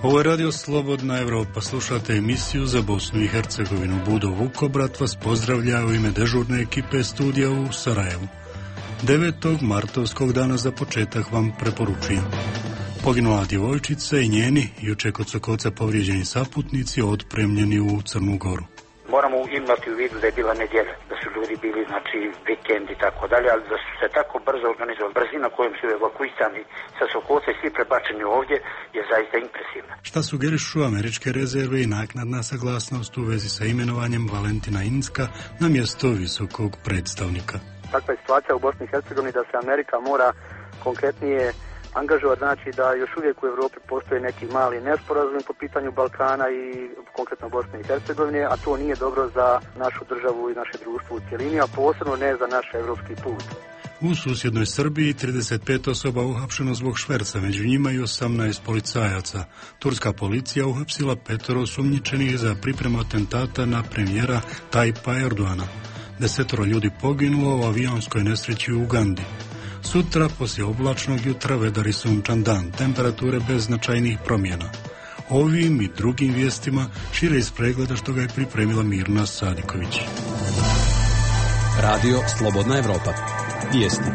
Ovo je Radio Slobodna Evropa. Slušate emisiju za Bosnu i Hercegovinu. Budo Vukobrat vas pozdravlja u ime dežurne ekipe studija u Sarajevu. 9. martovskog dana za početak vam preporučujem. Poginula djevojčica i njeni, juče kod Sokoca povrijeđeni saputnici, otpremljeni u Crnu Goru. Moramo imati u vidu da je bila nedjelja, da su ljudi bili, vikend i tako dalje, ali da su se tako brzo organizovali. Brzina kojom su evakuisani sa Sokoca i svi prebačeni ovdje je zaista impresivna. Šta sugerišu američke rezerve i naknadna saglasnost u vezi sa imenovanjem Valentina Inzka na mjesto visokog predstavnika? Takva je situacija u Bosni i Hercegovini da se Amerika mora konkretnije angažovati, znači da još uvijek u Europi postoje neki mali nesporazumi po pitanju Balkana i konkretno Bosne i Hercegovine, a to nije dobro za našu državu i naše društvo u cjelini, a posebno ne za naš evropski put. U susjednoj Srbiji 35 osoba uhapšeno zbog šverca, među njima i 18 policajaca. Turska policija uhapsila 5 osumnjičenih za pripremu atentata na premijera Tajpa Erdoana. 10 ljudi poginulo u avionskoj nesreći u Ugandi. Sutra, poslije oblačnog jutra, vedar i sunčan dan, temperature bez značajnih promjena. Ovim i drugim vijestima šire iz pregleda što ga je pripremila Mirna Sadiković. Radio Slobodna Evropa. Vijesti.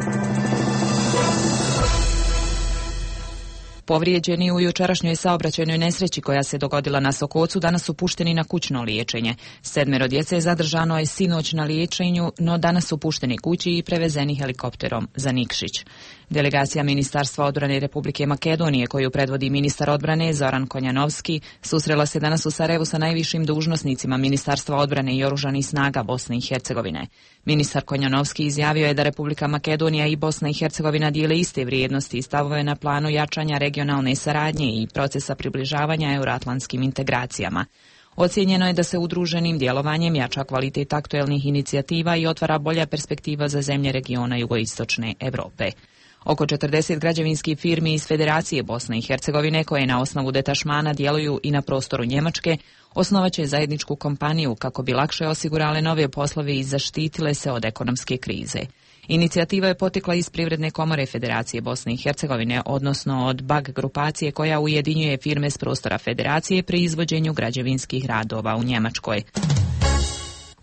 Povrijeđeni u jučerašnjoj saobraćajnoj nesreći koja se dogodila na Sokocu danas su pušteni na kućno liječenje. 7 djece je zadržano je sinoć na liječenju, no danas su pušteni kući i prevezeni helikopterom za Nikšić. Delegacija Ministarstva odbrane Republike Makedonije, koju predvodi ministar odbrane Zoran Konjanovski, susrela se danas u Sarajevu sa najvišim dužnosnicima Ministarstva odbrane i oružanih snaga Bosne i Hercegovine. Ministar Konjanovski izjavio je da Republika Makedonija i Bosna i Hercegovina dijele iste vrijednosti i stavove na planu jačanja regionalne saradnje i procesa približavanja euroatlantskim integracijama. Ocijenjeno je da se udruženim djelovanjem jača kvalitet aktuelnih inicijativa i otvara bolja perspektiva za zemlje regiona jugoistočne Europe. Oko 40 građevinskih firmi iz Federacije Bosne i Hercegovine, koje na osnovu detašmana djeluju i na prostoru Njemačke, osnovaće zajedničku kompaniju kako bi lakše osigurale nove poslove i zaštitile se od ekonomske krize. Inicijativa je potekla iz Privredne komore Federacije Bosne i Hercegovine, odnosno od BAG grupacije koja ujedinjuje firme s prostora Federacije pri izvođenju građevinskih radova u Njemačkoj.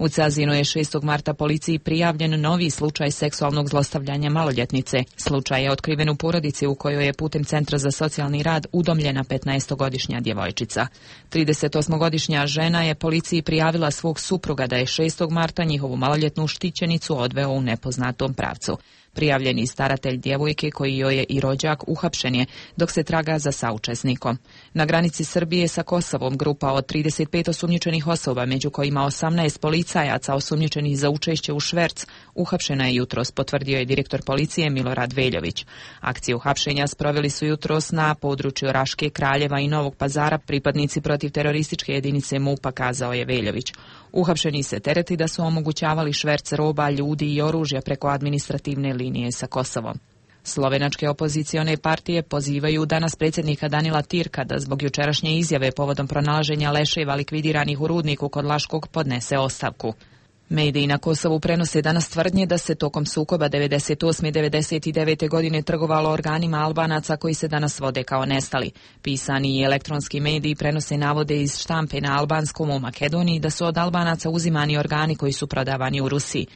U Cazinu je 6. marta policiji prijavljen novi slučaj seksualnog zlostavljanja maloljetnice. Slučaj je otkriven u porodici u kojoj je putem Centra za socijalni rad udomljena 15-godišnja djevojčica. 38-godišnja žena je policiji prijavila svog supruga da je 6. marta njihovu maloljetnu štićenicu odveo u nepoznatom pravcu. Prijavljeni staratelj djevojke, koji joj je i rođak, uhapšen je, dok se traga za saučesnikom. Na granici Srbije sa Kosovom grupa od 35 osumnjičenih osoba, među kojima 18 policajaca osumnjičenih za učešće u šverc, uhapšena je jutros, potvrdio je direktor policije Milorad Veljović. Akciju hapšenja sproveli su jutros na području Raške, Kraljeva i Novog Pazara pripadnici protiv terorističke jedinice MUP-a, kazao je Veljović. Uhapšeni se tereti da su omogućavali šverc roba, ljudi i oružja preko administrativne linije sa Kosovom. Slovenačke opozicione partije pozivaju danas predsjednika Danila Tirka da zbog jučerašnje izjave povodom pronalaženja leševa likvidiranih u rudniku kod Laškog podnese ostavku. Mediji na Kosovu prenose danas tvrdnje da se tokom sukoba 98. i 99. godine trgovalo organima Albanaca koji se danas vode kao nestali. Pisani i elektronski mediji prenose navode iz štampe na albanskom u Makedoniji da su od Albanaca uzimani organi koji su prodavani u Rusiji.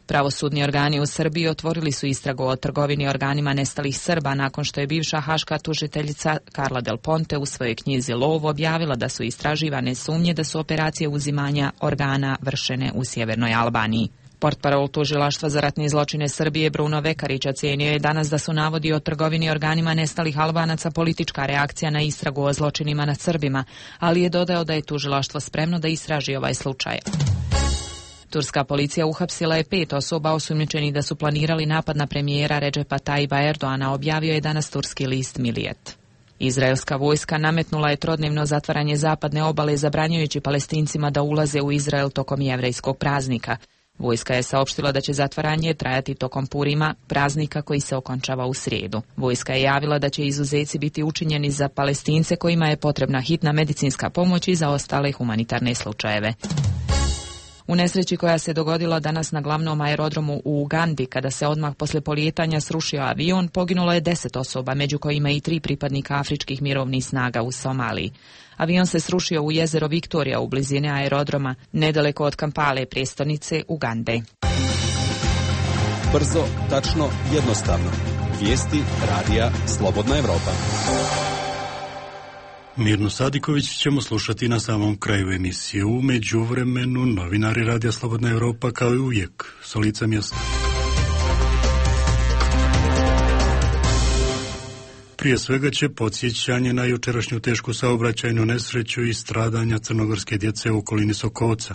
Pravosudni organi u Srbiji otvorili su istragu o trgovini organima nestalih Srba nakon što je bivša haška tužiteljica Carla Del Ponte u svojoj knjizi Lov objavila da su istraživane sumnje da su operacije uzimanja organa vršene u sjevernoj Albaniji. Portparol tužilaštva za ratne zločine Srbije Bruno Vekarić ocijenio je danas da su navodi o trgovini organima nestalih Albanaca politička reakcija na istragu o zločinima nad Srbima, ali je dodao da je tužilaštvo spremno da istraži ovaj slučaj. Turska policija uhapsila je 5 osoba osumnjičenih da su planirali napad na premijera Redžepa Tajba Erdoana, objavio je danas turski list Milijet. Izraelska vojska nametnula je trodnevno zatvaranje zapadne obale, zabranjujući Palestincima da ulaze u Izrael tokom jevrejskog praznika. Vojska je saopštila da će zatvaranje trajati tokom Purima, praznika koji se okončava u srijedu. Vojska je javila da će izuzeci biti učinjeni za Palestince kojima je potrebna hitna medicinska pomoć i za ostale humanitarne slučajeve. U nesreći koja se dogodila danas na glavnom aerodromu u Ugandi, kada se odmah posle polijetanja srušio avion, poginulo je 10 osoba, među kojima i 3 pripadnika afričkih mirovnih snaga u Somaliji. Avion se srušio u jezero Viktorija u blizini aerodroma, nedaleko od Kampale, prijestolnice Ugande. Brzo, tačno, jednostavno. Vijesti radija Slobodna Evropa. Mirnu Sadiković ćemo slušati na samom kraju emisije. U međuvremenu novinari radija Slobodna Evropa kao i uvijek s lica mjesta. Prije svega će podsjećanje na jučerašnju tešku saobraćajnu nesreću i stradanja crnogorske djece u okolini Sokoca.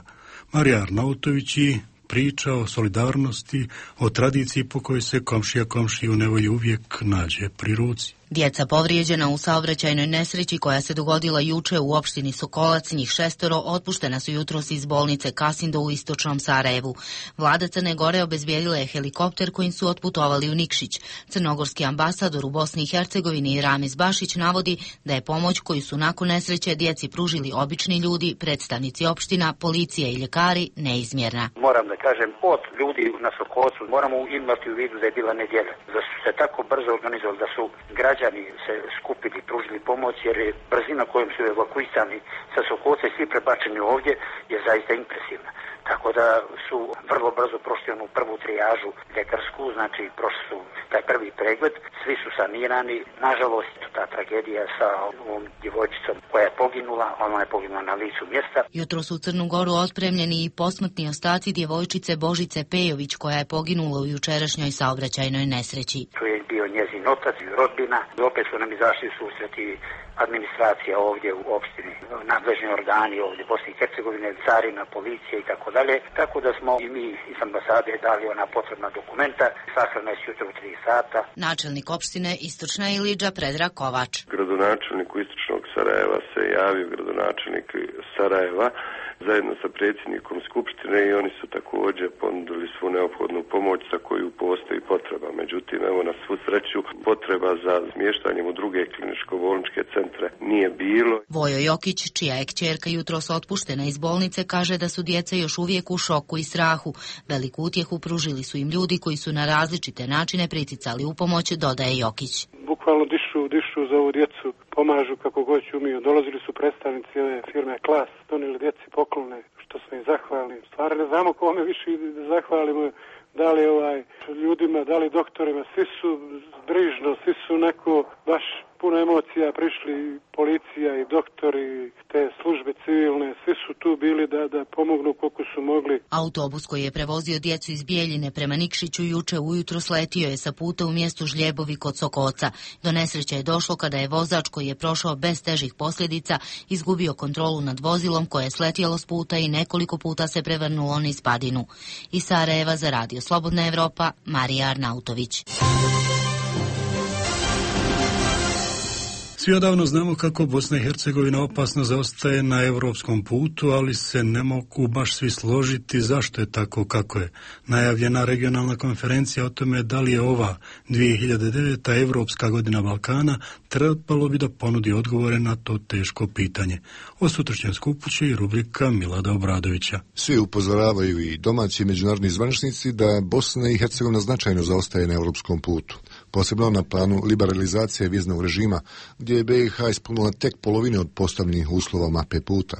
Marija Arnautović i priča o solidarnosti, o tradiciji po kojoj se komšija komšiju nevolji uvijek nađe pri ruci. Djeca povrijeđena u saobraćajnoj nesreći koja se dogodila juče u opštini Sokolac, njih 6 otpuštena su jutros iz bolnice Kasindo u istočnom Sarajevu. Vlada Crne Gore obezbijedila je helikopter kojim su otputovali u Nikšić. Crnogorski ambasador u Bosni i Hercegovini Ramiz Bašić navodi da je pomoć koju su nakon nesreće djeci pružili obični ljudi, predstavnici opština, policija i ljekari neizmjerna. Moram da kažem, od ljudi na Sokolcu moramo imati u vidu da je bila nedjelja, da su se tako brzo organizovali, da su građani se skupili, pružili pomoć, jer je brzina kojom su evakuisani sa Sokolca i svi prebačeni ovdje je zaista impresivna. Tako da su vrlo brzo prošli onu prvu trijažu ljekarsku, znači prošli su taj prvi pregled, svi su sanirani. Nažalost, ta tragedija sa ovom djevojčicom koja je poginula, ona je poginula na licu mjesta. Jutro su u Crnu Goru otpremljeni i posmrtni ostaci djevojčice Božice Pejović koja je poginula u jučerašnjoj saobraćajnoj nesreći. Tu je bio njezin otac i rodbina. Opet su nam izašli susreti administracija ovdje u opštini, nadležni organi ovdje Bosne i Hercegovine, carina, policija i tako dalje. Tako da smo i mi iz ambasade dali ona potrebna dokumenta. Sahrana je jutro u 3 sata. Načelnik opštine Istočna Ilidža Predrag Kovač. Gradonačelniku Istočnog Sarajeva se javio gradonačelnik Sarajeva zajedno sa predsjednikom Skupštine i oni su također ponudili svu neophodnu pomoć za koju postoji potreba. Međutim, evo na svu sreću potreba za smještanjem u druge kliničko-bolničke centre nije bilo. Vojo Jokić, čija je kćerka jutros otpuštena iz bolnice, kaže da su djeca još uvijek u šoku i strahu. Veliku utjehu pružili su im ljudi koji su na različite načine priticali u pomoć, dodaje Jokić. Bukvalno dišu za ovu djecu, pomažu kako god umiju. Dolazili su predstavnici ove firme Klas, donijeli djeci poklone, što smo im zahvalni. Stvarno ne znamo kome više da zahvalimo, da li ljudima, da li doktorima, svi su brižno, svi su neko baš puno emocija prišli, policija i doktori, te službe civilne, svi su tu bili da pomognu koliko su mogli. Autobus koji je prevozio djecu iz Bijeljine prema Nikšiću juče ujutro sletio je sa puta u mjestu Žljebovi kod Sokoca. Do nesreće je došlo kada je vozač koji je prošao bez težih posljedica izgubio kontrolu nad vozilom koje je sletjelo s puta i nekoliko puta se prevrnulo niz padinu. Iz Sarajeva za Radio Slobodna Evropa, Marija Arnautović. Svi odavno znamo kako Bosna i Hercegovina opasno zaostaje na europskom putu, ali se ne mogu baš svi složiti zašto je tako kako je. Najavljena regionalna konferencija o tome da li je ova 2009. Evropska godina Balkana trebalo bi da ponudi odgovore na to teško pitanje. O sutrašnjem skupu će i rubrika Milada Obradovića. Svi upozoravaju i domaći i međunarodni zvaničnici da Bosna i Hercegovina značajno zaostaje na europskom putu. Posebno na planu liberalizacije viznog režima, gdje je BiH ispunila tek polovine od postavljenih uslova mape puta.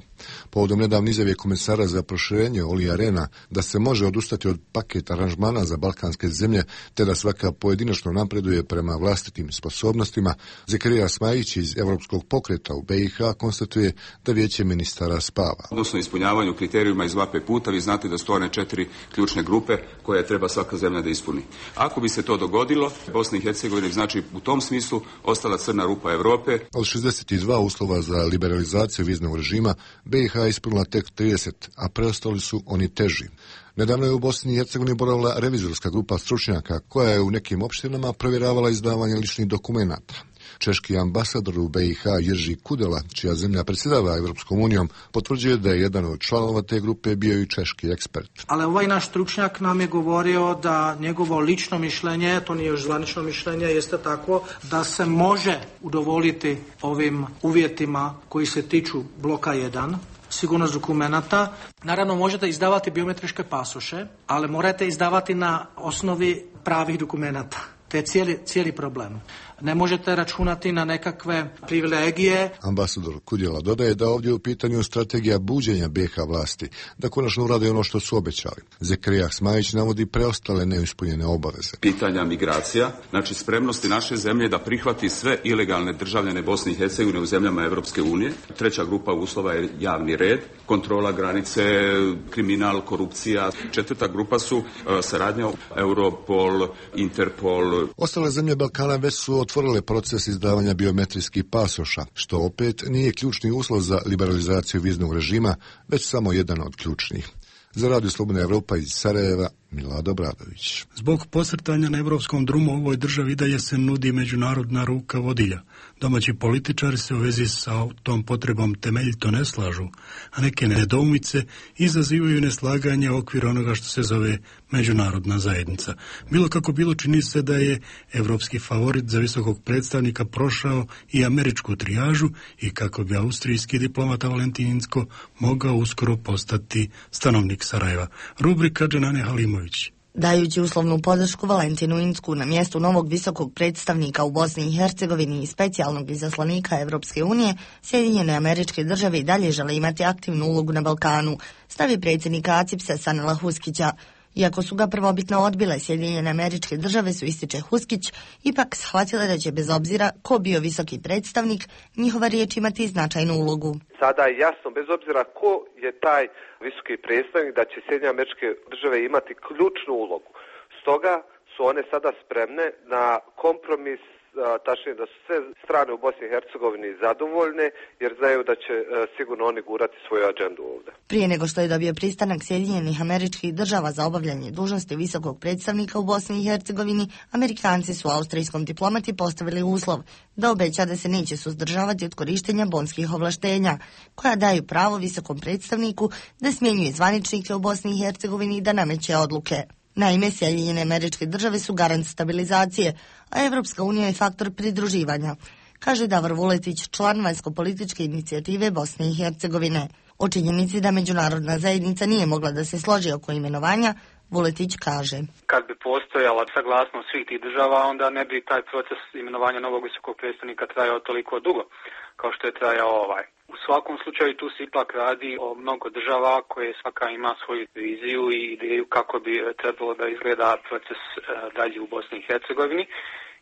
Povodom nedavne izjave komesara za proširenje Olija Rehna da se može odustati od paketa aranžmana za balkanske zemlje, te da svaka pojedinačno napreduje prema vlastitim sposobnostima, Zekarija Smajić iz Evropskog pokreta u BiH konstatuje da vijeće ministara spava. Odnosno ispunjavanju kriterijuma iz mape puta, vi znate da su to one 4 ključne grupe koje treba svaka zemlja da ispuni. Ako bi se to dogodilo, Bosna i Hercegovina znači u tom smislu ostala crna rupa Europe. Od 62 uslova za liberalizaciju viznog režima, BiH ispunila tek 30, a preostali su oni teži. Nedavno je u Bosni i Hercegovini boravila revizorska grupa stručnjaka koja je u nekim opštinama provjeravala izdavanje ličnih dokumenata. Češki ambasador u BiH Jerži Kudela, čija zemlja predsjedava Evropskom unijom, potvrđuje da je jedan od članova te grupe bio i češki ekspert. Ali ovaj naš stručnjak nam je govorio da njegovo lično mišljenje, to nije još zvanično mišljenje, jeste tako da se može udovoljiti ovim uvjetima koji se tiču bloka 1. sigurnost dokumenata. Naravno, možete izdavati biometričke pasoše, ali morate izdavati na osnovi pravih dokumenata. To je cijeli problem. Ne možete računati na nekakve privilegije. Ambasador Kudjela dodaje da ovdje je u pitanju strategija buđenja BiH vlasti, da konačno urade ono što su obećali. Zekrija Smajić navodi preostale neispunjene obaveze. Pitanja migracija, znači spremnosti naše zemlje da prihvati sve ilegalne državljane Bosne i Hercegovine u zemljama Europske unije. Treća grupa uslova je javni red, kontrola granice, kriminal, korupcija. Četvrta grupa su saradnja Europol, Interpol. Ostale zemlje Balkana već su otvorile proces izdavanja biometrijskih pasoša, što opet nije ključni uslov za liberalizaciju viznog režima, već samo jedan od ključnih. Za Radio Slobodna Evropa iz Sarajeva, Milada Obradović. Zbog posrtanja na evropskom drumu u ovoj državi dalje se nudi međunarodna ruka vodilja. Domaći političari se u vezi sa tom potrebom temeljito ne slažu, a neke nedoumice izazivaju neslaganje u okviru onoga što se zove međunarodna zajednica. Bilo kako bilo, čini se da je evropski favorit za visokog predstavnika prošao i američku trijažu i kako bi austrijski diplomata Valentin Incko mogao uskoro postati stanovnik Sarajeva. Rubrika Dženane Halimović. Dajući uslovnu podršku Valentinu Incku na mjestu novog visokog predstavnika u Bosni i Hercegovini i specijalnog izaslanika Evropske unije, Sjedinjene Američke Države i dalje žele imati aktivnu ulogu na Balkanu, stavi predsjednik ACIPS-a Sanela Huskića. Iako su ga prvobitno odbile, Sjedinjene Američke Države su, ističe Huskić, ipak shvatile da će bez obzira ko bio visoki predstavnik, njihova riječ imati značajnu ulogu. Sada je jasno, bez obzira ko je taj visoki predstavnik, da će Sjedinjene Američke Države imati ključnu ulogu. Stoga su one sada spremne na kompromis, tačnije da su sve strane u Bosni i Hercegovini zadovoljne, jer znaju da će sigurno oni gurati svoju agendu ovdje. Prije nego što je dobio pristanak Sjedinjenih Američkih Država za obavljanje dužnosti visokog predstavnika u Bosni i Hercegovini, Amerikanci su austrijskom diplomati postavili uslov da obeća da se neće suzdržavati od korištenja bonskih ovlaštenja, koja daju pravo visokom predstavniku da smjenjuje zvaničnike u Bosni i Hercegovini i da nameće odluke. Naime, Sjedinjene Američke Države su garant stabilizacije, a Evropska unija je faktor pridruživanja, kaže Davor Vuletić, član vanjsko-političke inicijative Bosne i Hercegovine. O činjenici da međunarodna zajednica nije mogla da se složi oko imenovanja, Vuletić kaže: Kad bi postojala saglasnost svih tih država, onda ne bi taj proces imenovanja novog visokog predstavnika trajao toliko dugo kao što je trajao ovaj. U svakom slučaju tu se ipak radi o mnogo država koje svaka ima svoju viziju i ideju kako bi trebalo da izgleda proces dalje u Bosni i Hercegovini.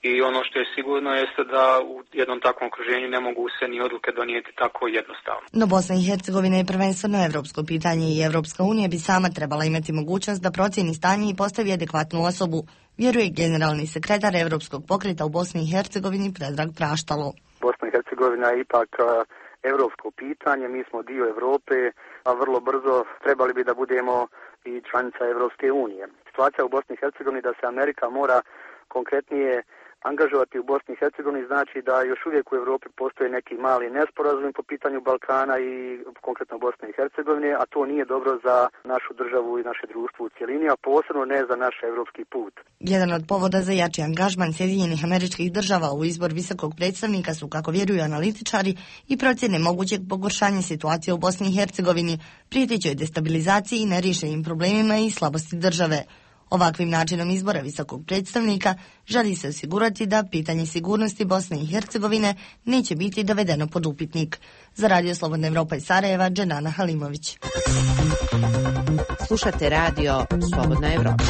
I ono što je sigurno jeste da u jednom takvom okruženju ne mogu se ni odluke donijeti tako jednostavno. No Bosna i Hercegovina je prvenstveno evropsko pitanje i Evropska unija bi sama trebala imati mogućnost da procjeni stanje i postavi adekvatnu osobu, vjeruje generalni sekretar Evropskog pokreta u Bosni i Hercegovini Predrag Praštalo. Bosna i Hercegovina je ipak evropsko pitanje, mi smo dio Evrope, a vrlo brzo trebali bi da budemo i članica Evropske unije. Situacija u Bosni i Hercegovini da se Amerika mora konkretnije angažovati u Bosni i Hercegovini znači da još uvijek u Europi postoje neki mali nesporazumi po pitanju Balkana i konkretno Bosne i Hercegovine, a to nije dobro za našu državu i naše društvo u cjelini, a posebno ne za naš evropski put. Jedan od povoda za jači angažman Sjedinjenih Američkih Država u izbor visokog predstavnika su, kako vjeruju analitičari, i procjene mogućeg pogoršanja situacije u Bosni i Hercegovini, prijetećoj destabilizaciji i neriješenim problemima i slabosti države. Ovakvim načinom izbora visokog predstavnika želi se osigurati da pitanje sigurnosti Bosne i Hercegovine neće biti dovedeno pod upitnik. Za Radio Slobodna Evropa iz Sarajeva, Dženana Halimović. Slušate Radio Slobodna Evropa.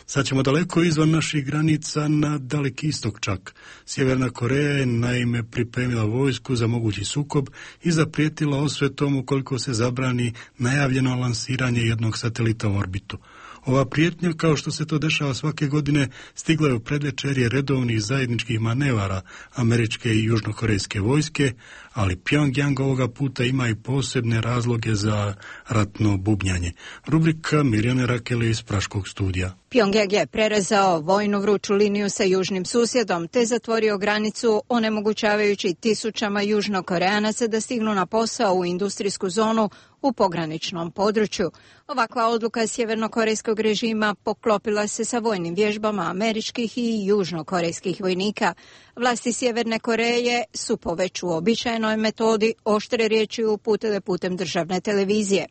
Sad ćemo daleko izvan naših granica na Daleki istok čak. Sjeverna Koreja je naime pripremila vojsku za mogući sukob i zaprijetila osvetom ukoliko se zabrani najavljeno lansiranje jednog satelita u orbitu. Ova prijetnja, kao što se to dešava svake godine, stigla je u predvečerje redovnih zajedničkih manevara američke i južnokorejske vojske, ali Pyongyang ovoga puta ima i posebne razloge za ratno bubnjanje. Rubrika Mirjane Rakele iz Praškog studija. Pyongyang je prerezao vojnu vruću liniju sa južnim susjedom te zatvorio granicu, onemogućavajući tisućama južnokoreanaca da stignu na posao u industrijsku zonu u pograničnom području. Ovakva odluka sjevernokorejskog režima poklopila se sa vojnim vježbama američkih i južnokorejskih vojnika. Vlasti Sjeverne Koreje su po već uobičajenom službenoj metodi oštre riječi uputile putem državne televizije.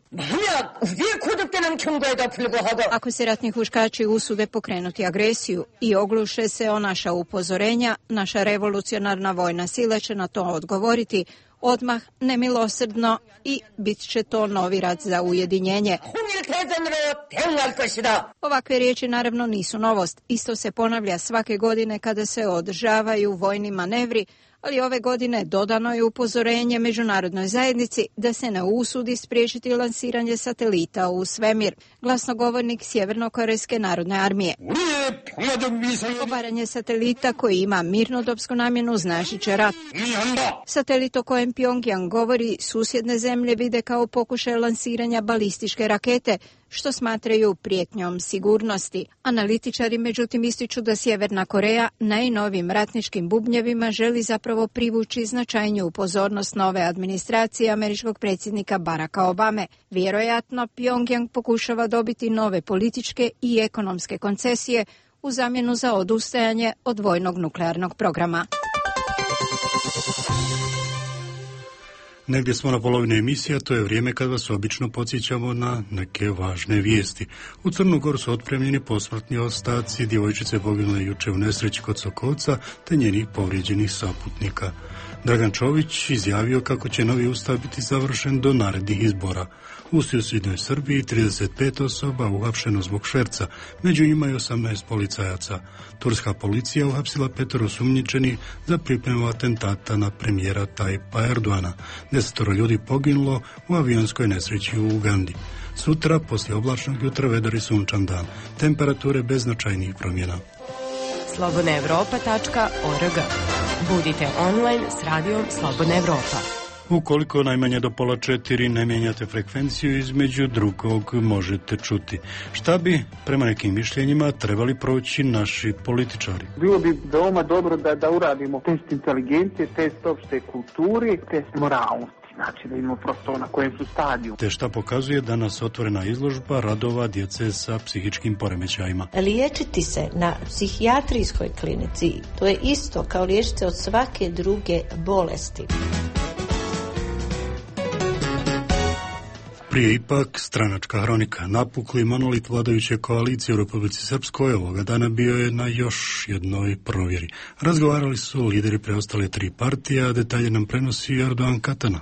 Ako se ratni huškači usude pokrenuti agresiju i ogluše se o naša upozorenja, naša revolucionarna vojna sila će na to odgovoriti odmah, nemilosrdno, i bit će to novi rat za ujedinjenje. Ovakve riječi naravno nisu novost. Isto se ponavlja svake godine kada se održavaju vojni manevri, ali ove godine dodano je upozorenje međunarodnoj zajednici da se ne usudi spriječiti lansiranje satelita u svemir. Glasnogovornik Sjevernokorejske narodne armije. Obaranje satelita koji ima mirnodopsku namjenu značit će rat. Satelit o kojem Pjongjang govori susjedne zemlje vide kao pokušaj lansiranja balističke rakete, što smatraju prijetnjom sigurnosti. Analitičari međutim ističu da Sjeverna Koreja najnovim ratničkim bubnjevima želi zapravo privući značajniju pozornost nove administracije američkog predsjednika Baracka Obame. Vjerojatno Pjongjang pokušava dobiti nove političke i ekonomske koncesije u zamjenu za odustajanje od vojnog nuklearnog programa. Negdje smo na polovini emisije, to je vrijeme kad vas obično podsjećamo na neke važne vijesti. U Crnu Goru su otpremljeni posmrtni ostaci djevojčice poginule juče u nesreći kod Sokolca te njenih povrijeđenih saputnika. Dragan Čović izjavio kako će novi ustav biti završen do narednih izbora. U susjednoj Srbiji 35 osoba uhapšeno zbog šverca, među njima i 18 policajaca. Turska policija uhapsila 5 osumnjičenih za pripremu atentata na premijera Tajpa Erdoana. 10 ljudi poginulo u avionskoj nesreći u Ugandi. Sutra, poslije oblačnog jutra, vedar i sunčan dan. Temperature bez značajnih promjena. slobodnaevropa.org. Budite online s radijom Slobodna Evropa. Ukoliko najmanje do 3:30 ne mijenjate frekvenciju, između drugog možete čuti. Šta bi, prema nekim mišljenjima, trebali proći naši političari? Bilo bi veoma dobro da uradimo test inteligencije, test opšte kulturi, test moralnosti. Znači da imamo prosto na kojem su stadiju. Te šta pokazuje danas otvorena izložba radova djece sa psihičkim poremećajima. Liječiti se na psihijatrijskoj klinici, to je isto kao liječiti se od svake druge bolesti. Prije ipak stranačka hronika. Napukli monolit vladajuće koalicije u Republici Srpskoj ovoga dana bio je na još jednoj provjeri. Razgovarali su lideri preostale 3 partije, a detalje nam prenosi Erdogan Katana.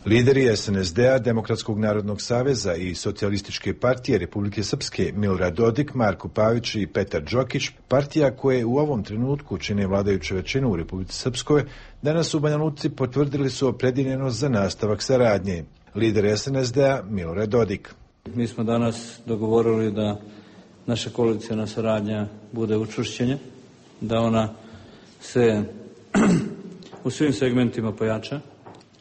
Lideri SNSD-a, Demokratskog narodnog saveza i Socijalističke partije Republike Srpske Milorad Dodik, Marko Pavić i Petar Đokić, partija koje u ovom trenutku čine vladajuću većinu u Republici Srpskoj, danas u Banja Luci potvrdili su opredjeljenost za nastavak saradnje. Lider SNSD-a Milorad Dodik. Mi smo danas dogovorili da naša koalicijna saradnja bude učvršćenje, da ona se u svim segmentima pojača.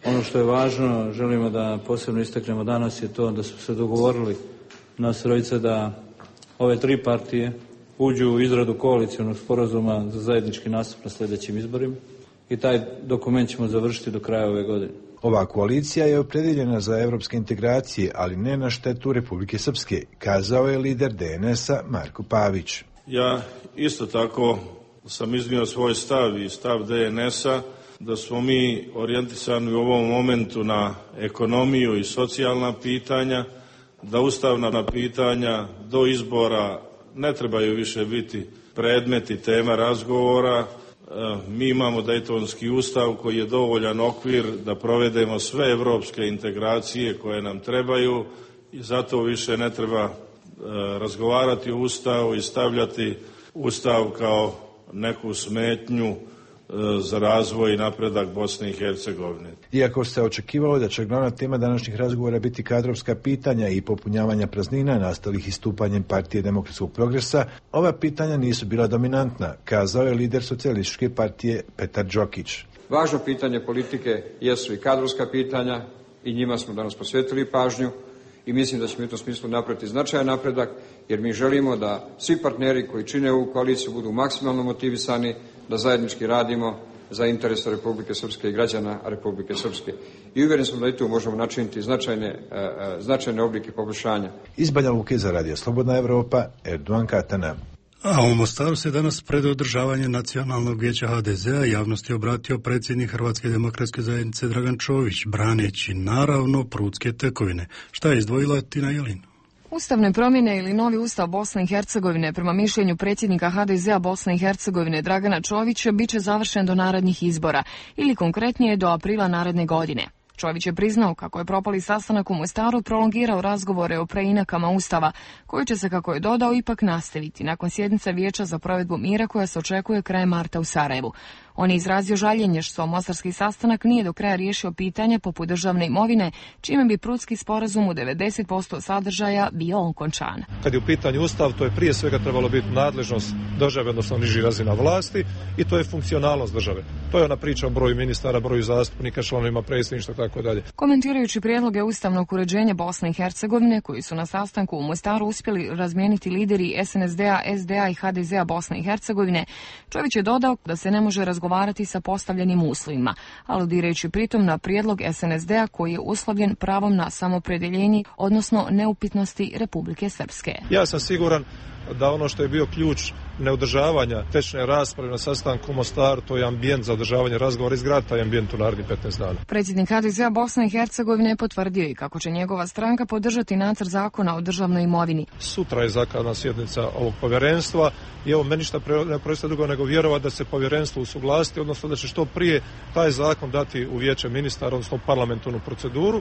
Ono što je važno, želimo da posebno istaknemo danas, je to da su se dogovorili nas trojica da ove 3 partije uđu u izradu koalicionog sporazuma za zajednički nastup na sljedećim izborima i taj dokument ćemo završiti do kraja ove godine. Ova koalicija je opredjeljena za evropske integracije, ali ne na štetu Republike Srpske, kazao je lider DNS-a Marko Pavić. Ja isto tako sam iznio svoj stav i stav DNS-a da smo mi orijentisani u ovom momentu na ekonomiju i socijalna pitanja, da ustavna pitanja do izbora ne trebaju više biti predmet i tema razgovora. Mi imamo Dejtonski ustav koji je dovoljan okvir da provedemo sve evropske integracije koje nam trebaju i zato više ne treba razgovarati o ustavu i stavljati ustav kao neku smetnju za razvoj i napredak Bosne i Hercegovine. Iako se očekivalo da će glavna tema današnjih razgovora biti kadrovska pitanja i popunjavanja praznina nastalih istupanjem Partije demokratskog progresa, ova pitanja nisu bila dominantna, kazao je lider Socijalističke partije Petar Đokić. Važno pitanje politike jesu i kadrovska pitanja i njima smo danas posvetili pažnju i mislim da ćemo u tom smislu napraviti značajan napredak, jer mi želimo da svi partneri koji čine ovu koaliciju budu maksimalno motivisani da zajednički radimo za interese Republike Srpske i građana Republike Srpske. I uvjeren sam da i tu možemo načiniti značajne oblike poboljšanja. Iz Banja Luke za Radio Slobodna Evropa, Erdogan Katana. A u Mostaru se danas pred održavanje nacionalnog vijeća HDZ-a javnosti obratio predsjednik Hrvatske demokratske zajednice Dragan Čović, braneći naravno prudske tekovine. Šta je izdvojila Tina Jelin? Ustavne promjene ili novi ustav Bosne i Hercegovine, prema mišljenju predsjednika HDZ-a Bosne i Hercegovine Dragana Čovića, bit će završen do narednih izbora ili konkretnije do aprila naredne godine. Čović je priznao kako je propali sastanak u Mostaru prolongirao razgovore o preinakama ustava, koji će se, kako je dodao, ipak nastaviti nakon sjednice Vijeća za provedbu mira koja se očekuje krajem marta u Sarajevu. On je izrazio žaljenje što mostarski sastanak nije do kraja riješio pitanje poput državne imovine, čime bi Prudski sporazum u 90% sadržaja bio okončan. Kad je u pitanju ustav, to je prije svega trebalo biti nadležnost države, odnosno niži razina vlasti, i to je funkcionalnost države. To je ona priča o broju ministara, broju zastupnika, članovima predsjedništva, tako dalje. Komentirajući prijedloge ustavnog uređenja Bosne i Hercegovine, koji su na sastanku u Mostaru uspjeli razmijeniti lideri SNSD-a, SDA i HDZ-a Bosne i Hercegovine, Čović je dodao da se ne može razgovarati sa postavljenim uslovima, aludirajući pritom na prijedlog SNSD-a koji je uslovljen pravom na samopredjeljenje, odnosno neupitnosti Republike Srpske. Ja sam siguran da ono što je bio ključ neodržavanja tečne rasprave na sastanku u Mostaru, to je ambijent za održavanje razgovora, izgraditi taj ambijent u narednih 15 dana. Predsjednik HDZ-a Bosne i Hercegovine je potvrdio i kako će njegova stranka podržati nacrt zakona o državnoj imovini. Sutra je zakazana sjednica ovog povjerenstva i evo meni ništa ne preostaje drugo nego vjerovati da se povjerenstvo usuglasiti, odnosno da će što prije taj zakon dati u vijeće ministara, odnosno parlamentarnu proceduru,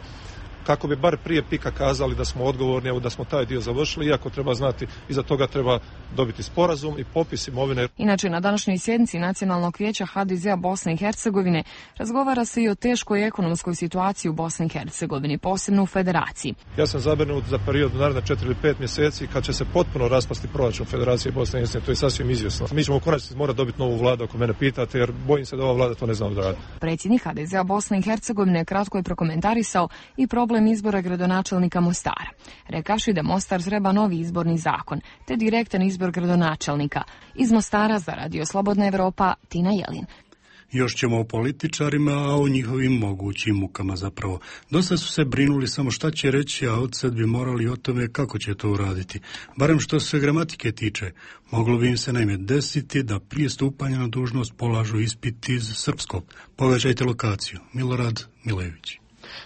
kako bi bar prije pika kazali da smo odgovorni, evo da smo taj dio završili, iako treba znati, iza toga treba dobiti sporazum i popis imovine. Inače, na današnjoj sjednici Nacionalnog vijeća HDZ-a Bosne i Hercegovine razgovara se i o teškoj ekonomskoj situaciji u Bosni i Hercegovini, posebno u Federaciji. Ja sam zabrinut za period naredna 4 ili 5 mjeseci kad će se potpuno raspasti proračun Federacije Bosne i Hercegovine, to je sasvim izvjesno. Mi ćemo u konačnici morati dobiti novu vladu, ako mene pitate, jer bojim se da ova vlada to ne zna odraditi. Predsjednik HDZ-a Bosne i Hercegovine kratko je prokomentarisao i problem izbora gradonačelnika Mostara, rekavši da Mostar treba novi izborni zakon, te direktan izbor gradonačelnika. Iz Mostara za Radio Slobodna Evropa, Tina Jelin. Još ćemo o političarima, a o njihovim mogućim mukama zapravo. Dosta su se brinuli samo šta će reći, a odsad bi morali o tome kako će to uraditi. Barem što se gramatike tiče. Moglo bi im se naime desiti da prije stupanja na dužnost polažu ispit iz srpskog. Pogađajte lokaciju. Milorad Milević.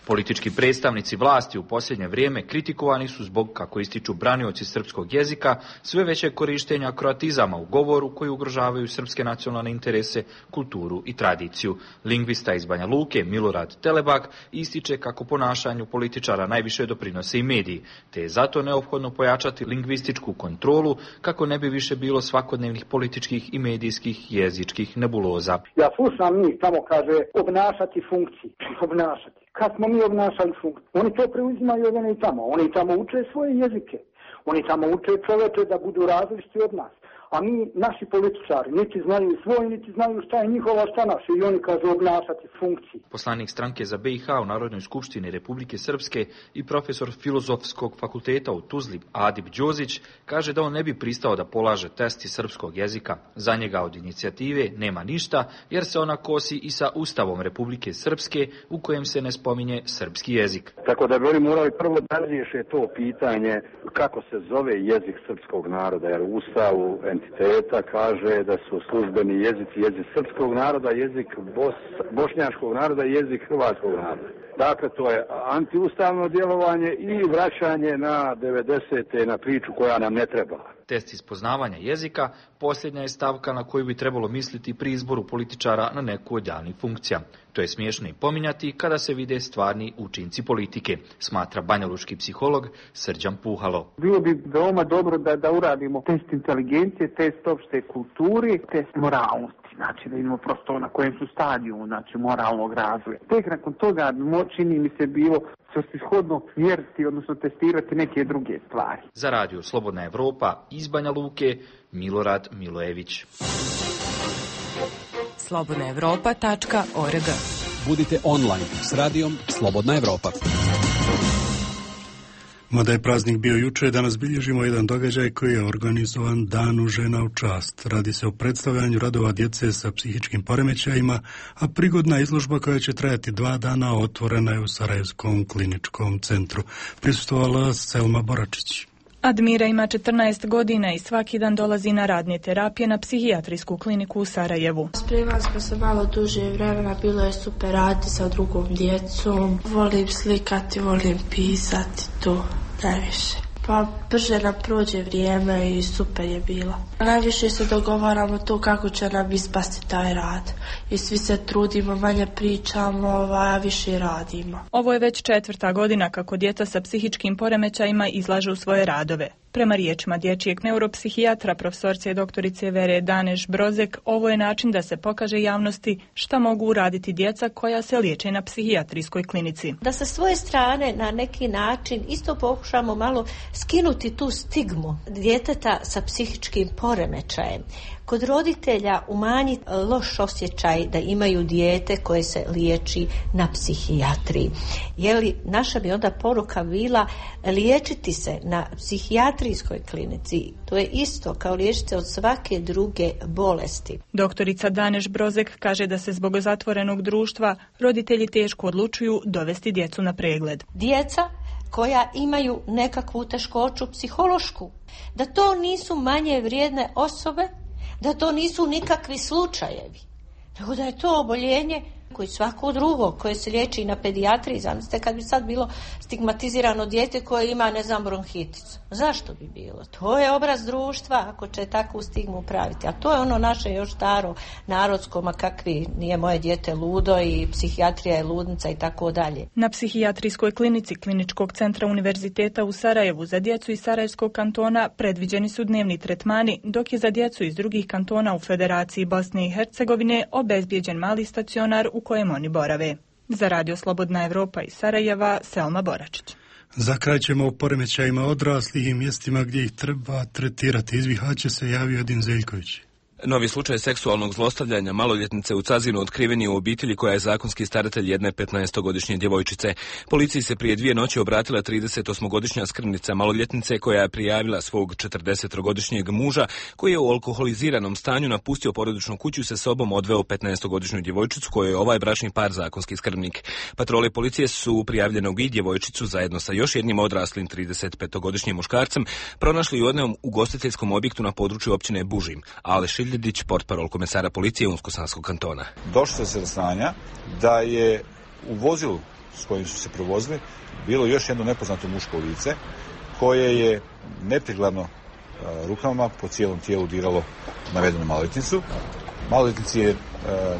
Politički predstavnici vlasti u posljednje vrijeme kritikovani su zbog, kako ističu branioci srpskog jezika, sve većeg korištenja kroatizama u govoru koji ugrožavaju srpske nacionalne interese, kulturu i tradiciju. Lingvista iz Banja Luke Milorad Telebak ističe kako ponašanju političara najviše doprinose i mediji, te je zato neophodno pojačati lingvističku kontrolu kako ne bi više bilo svakodnevnih političkih i medijskih jezičkih nebuloza. Ja slušam njih, tamo kaže obnašati funkciju, obnašati. Kad smo mi obnašali funkciju, oni to preuzimaju od one i tamo. Oni tamo uče svoje jezike. Oni tamo uče čoveče da budu različiti od nas. A mi, naši političari, niti znaju svoj, niti znaju šta je njihova, šta naše. I oni kažu obnašati funkciju. Poslanik stranke za BiH u Narodnoj skupštini Republike Srpske i profesor Filozofskog fakulteta u Tuzli Adib Đozić kaže da on ne bi pristao da polaže test iz srpskog jezika. Za njega od inicijative nema ništa, jer se ona kosi i sa Ustavom Republike Srpske u kojem se ne spominje srpski jezik. Tako da bi oni morali prvo da riješe to pitanje kako se zove jezik srpskog naroda, jer u Ustavu entiteta kaže da su službeni jezici jezik srpskog naroda, jezik bošnjačkog naroda i jezik hrvatskog naroda. Dakle, to je antiustavno djelovanje i vraćanje na 90. na priču koja nam ne treba. Test iz poznavanja jezika posljednja je stavka na koju bi trebalo misliti pri izboru političara na neku od javnih funkcija. To je smiješno i pominjati kada se vide stvarni učinci politike, smatra banjalučki psiholog Srđan Puhalo. Bilo bi veoma dobro da uradimo test inteligencije, test opšte kulturi, test moralnosti. Znači da imamo prosto na kojem su stadiju, znači moralnog razvoja. Tek nakon toga čini mi se bilo svrsishodno mjeriti, odnosno testirati neke druge stvari. Za Radio Slobodna Evropa iz Banja Luke, Milorad Milojević. slobodnaevropa.org. Budite online s radijom Slobodna Evropa. Mada je praznik bio juče, danas bilježimo jedan događaj koji je organizovan Danu žena u čast. Radi se o predstavljanju radova djece sa psihičkim poremećajima, a prigodna izložba koja će trajati 2 dana otvorena je u Sarajevskom kliničkom centru. Prisustvovala Selma Boračić. Admira ima 14 godina i svaki dan dolazi na radne terapije na psihijatrijsku kliniku u Sarajevu. Spremali smo se malo duže vremena, bilo je super raditi sa drugom djecom. Volim slikati, volim pisati, to najviše. Pa brže nam prođe vrijeme i super je bilo. Najviše se dogovaramo to kako će nam ispasti taj rad. I svi se trudimo, manje pričamo, a više radimo. Ovo je već 4. godina kako djeca sa psihičkim poremećajima izlažu svoje radove. Prema riječima dječjeg neuropsihijatra profesorce i doktorice Vere Daneš-Brozek, ovo je način da se pokaže javnosti šta mogu uraditi djeca koja se liječe na psihijatrijskoj klinici. Da sa svoje strane na neki način isto pokušamo malo skinuti tu stigmu djeteta sa psihičkim poremećajem. Kod roditelja umanjiti loš osjećaj da imaju dijete koje se liječi na psihijatriji. Naša bi onda poruka bila liječiti se na psihijatrijskoj klinici. To je isto kao liječiti od svake druge bolesti. Doktorica Daneš-Brozek kaže da se zbog zatvorenog društva roditelji teško odlučuju dovesti djecu na pregled. Djeca koja imaju nekakvu teškoću psihološku, da to nisu manje vrijedne osobe, da to nisu nikakvi slučajevi, nego da je to oboljenje koji svako drugo koje se liječi na pedijatriji. Zamislite kad bi sad bilo stigmatizirano dijete koje ima, bronhiticu. Zašto bi bilo? To je obraz društva ako će takvu stigmu praviti. A to je ono naše još staro narodsko, ma kakvi, nije moje dijete ludo i psihijatrija je ludnica i tako dalje. Na psihijatrijskoj klinici Kliničkog centra univerziteta u Sarajevu za djecu iz Sarajevskog kantona predviđeni su dnevni tretmani, dok je za djecu iz drugih kantona u Federaciji Bosne i Hercegovine obezbijeđen mali stacionar u kojem oni borave. Za Radio Slobodna Evropa iz Sarajeva, Selma Boračić. Za kraj ćemo o poremećajima odraslih i mjestima gdje ih treba tretirati. Iz Bihaća se javio Edin Zeljković. Novi slučaj seksualnog zlostavljanja maloljetnice u Cazinu otkriven je u obitelji koja je zakonski staratelj jedne 15-godišnje djevojčice. Policiji se prije 2 noći obratila 38-godišnja skrbnica maloljetnice koja je prijavila svog 40-godišnjeg muža koji je u alkoholiziranom stanju napustio porodičnu kuću i sa sobom odveo 15-godišnju djevojčicu kojoj je ovaj bračni par zakonski skrbnik. Patrole policije su prijavljenog i djevojčicu zajedno sa još jednim odraslim 35-godišnjim muškarcem pronašli u jednom ugostiteljskom objektu na području općine Bužim. Aleš Ljedić, portparol komesara policije Unsko-Sanskog kantona. Došlo se do saznanja da je u vozilu s kojim su se provozili bilo još jedno nepoznato muško lice koje je neprikladno rukama po cijelom tijelu diralo navedenu maloljetnicu. Maloljetnici je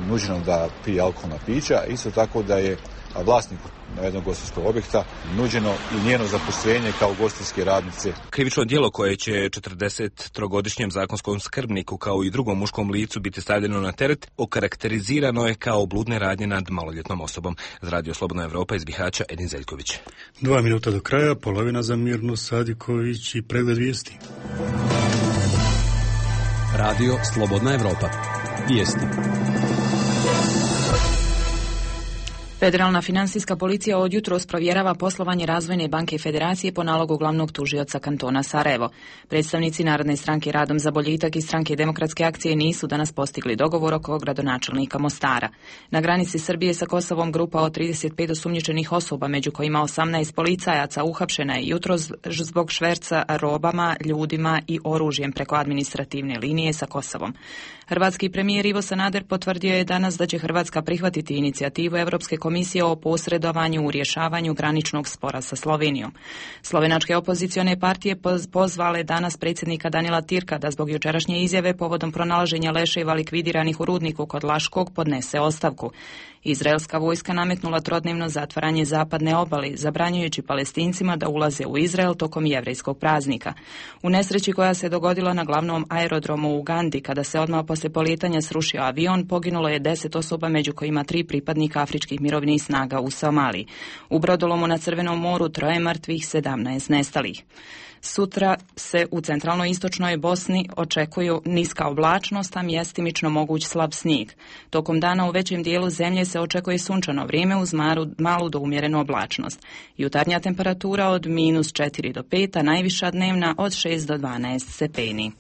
nuđeno da pije alkoholna pića, isto tako da je vlasniku navedenog ugostiteljskog objekta nuđeno i njeno zaposlenje kao ugostiteljske radnice. Krivično djelo koje će 43-godišnjem zakonskom skrbniku kao i drugom muškom licu biti stavljeno na teret okarakterizirano je kao bludne radnje nad maloljetnom osobom. Za Radio Slobodna Evropa iz Bihaća, Edin Zeljković. 2 minuta do kraja, polovina za Mirnu Sadiković i pregled vijesti. Radio Slobodna Evropa. Vijesti. Federalna finansijska policija od jutros provjerava poslovanje Razvojne banke Federacije po nalogu glavnog tužioca kantona Sarajevo. Predstavnici Narodne stranke Radom za boljitak i Stranke demokratske akcije nisu danas postigli dogovor oko gradonačelnika Mostara. Na granici Srbije sa Kosovom grupa od 35 osumnjičenih osoba, među kojima 18 policajaca, uhapšena je jutros zbog šverca robama, ljudima i oružjem preko administrativne linije sa Kosovom. Hrvatski premijer Ivo Sanader potvrdio je danas da će Hrvatska prihvatiti inicijativu Europske komisije o posredovanju u rješavanju graničnog spora sa Slovenijom. Slovenačke opozicione partije pozvale danas predsjednika Danila Tirka da zbog jučerašnje izjave povodom pronalaženja leševa likvidiranih u rudniku kod Laškog podnese ostavku. Izraelska vojska nametnula trodnevno zatvaranje zapadne obale, zabranjujući Palestincima da ulaze u Izrael tokom jevrejskog praznika. U nesreći koja se dogodila na glavnom aerodromu u Ugandi, kada se odmah poslije polijetanja srušio avion, poginulo je 10 osoba, među kojima 3 pripadnika afričkih mirovnih snaga u Somaliji. U brodolomu na Crvenom moru 3 mrtvih, 17 nestalih. Sutra se u centralno-istočnoj Bosni očekuju niska oblačnost, a mjestimično moguć slab snijeg. Tokom dana u većem dijelu zemlje se očekuje sunčano vrijeme uz malu do umjerenu oblačnost. Jutarnja temperatura od -4 do 5, a najviša dnevna od 6 do 12 stepeni.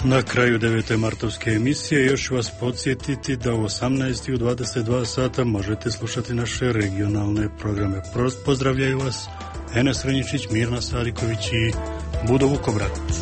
Na kraju 9. martovske emisije još ću vas podsjetiti da u 18 i u 22 sata možete slušati naše regionalne programe. Pozdravljaju vas Enes Renjičić, Mirna Sariković i Budo Vukobratović.